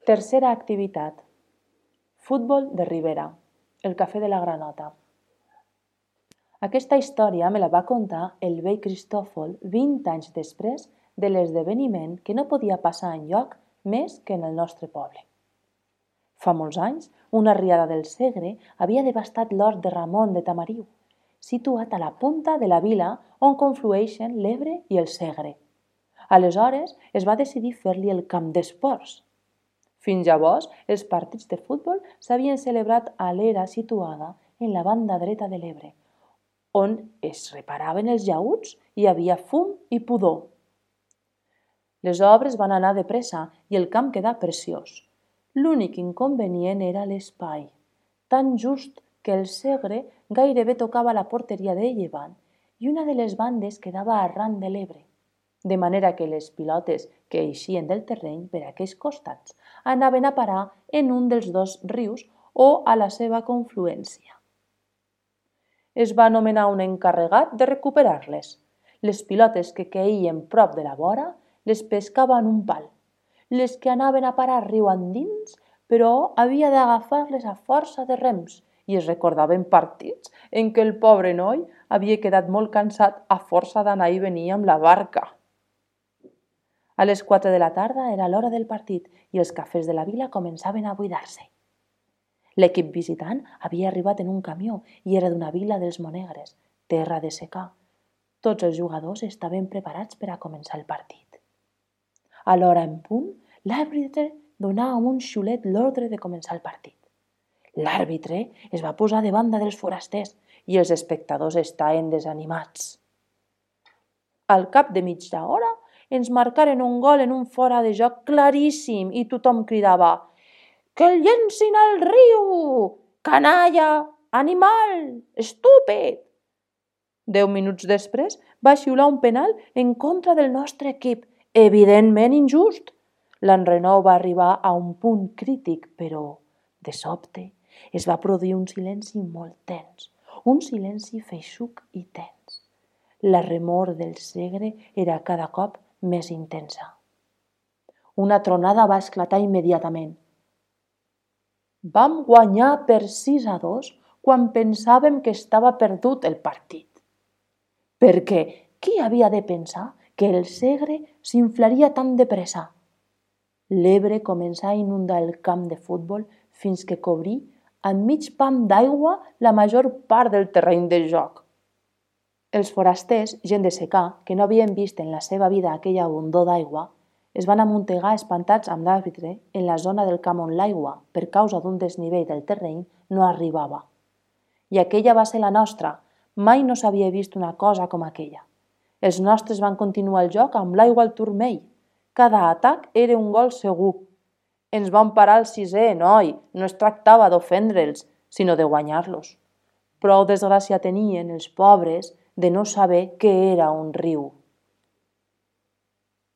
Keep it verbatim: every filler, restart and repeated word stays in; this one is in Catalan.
Tercera activitat. Futbol de Ribera, el cafè de la Granota. Aquesta història me la va contar el vell Cristòfol vint anys després de l'esdeveniment que no podia passar enlloc més que en el nostre poble. Fa molts anys, una riada del Segre havia devastat l'hort de Ramon de Tamariu, situat a la punta de la vila on conflueixen l'Ebre i el Segre. Aleshores es va decidir fer-li el camp d'esports. Fins llavors, els partits de futbol s'havien celebrat a l'era situada en la banda dreta de l'Ebre, on es reparaven els llaüts i hi havia fum i pudor. Les obres van anar de pressa i el camp quedà preciós. L'únic inconvenient era l'espai, tan just que el Segre gairebé tocava la porteria de llevant i una de les bandes quedava arran de l'Ebre, de manera que les pilotes que eixien del terreny per aquells costats anaven a parar en un dels dos rius o a la seva confluència. Es va nomenar un encarregat de recuperar-les. Les pilotes que queien prop de la vora les pescava en un pal. Les que anaven a parar riu endins, però havia d'agafar-les a força de rems i es recordaven partits en què el pobre noi havia quedat molt cansat a força d'anar i venir amb la barca. A les quatre de la tarda era l'hora del partit i els cafès de la vila començaven a buidar-se. L'equip visitant havia arribat en un camió i era d'una vila dels Monegres, terra de secà. Tots els jugadors estaven preparats per a començar el partit. A l'hora en punt, l'àrbitre donà amb un xiulet l'ordre de començar el partit. L'àrbitre es va posar de banda dels forasters i els espectadors estaven desanimats. Al cap de mitja hora, ens marcaren un gol en un fora de joc claríssim i tothom cridava «Que el llencin al riu! Canalla! Animal! Estúpid!». Deu minuts després va xiular un penal en contra del nostre equip, evidentment injust. L'enrenou va arribar a un punt crític, però, de sobte, es va produir un silenci molt tens, un silenci feixuc i tens. La remor del Segre era cada cop més intensa. Una tronada va esclatar immediatament. Vam guanyar per sis a dos quan pensàvem que estava perdut el partit. Perquè qui havia de pensar que el Segre s'inflaria tan de pressa? L'Ebre començà a inundar el camp de futbol fins que cobrí amb mig pam d'aigua la major part del terreny de joc. Els forasters, gent de secà, que no havien vist en la seva vida aquella abundor d'aigua, es van amuntegar espantats amb l'àrbitre en la zona del camp on l'aigua, per causa d'un desnivell del terreny, no arribava. I aquella va ser la nostra. Mai no s'havia vist una cosa com aquella. Els nostres van continuar el joc amb l'aigua al turmell. Cada atac era un gol segur. Ens van parar al sisè, noi. No es tractava d'ofendre'ls, sinó de guanyar-los. Prou desgràcia tenien els pobres de no saber què era un riu.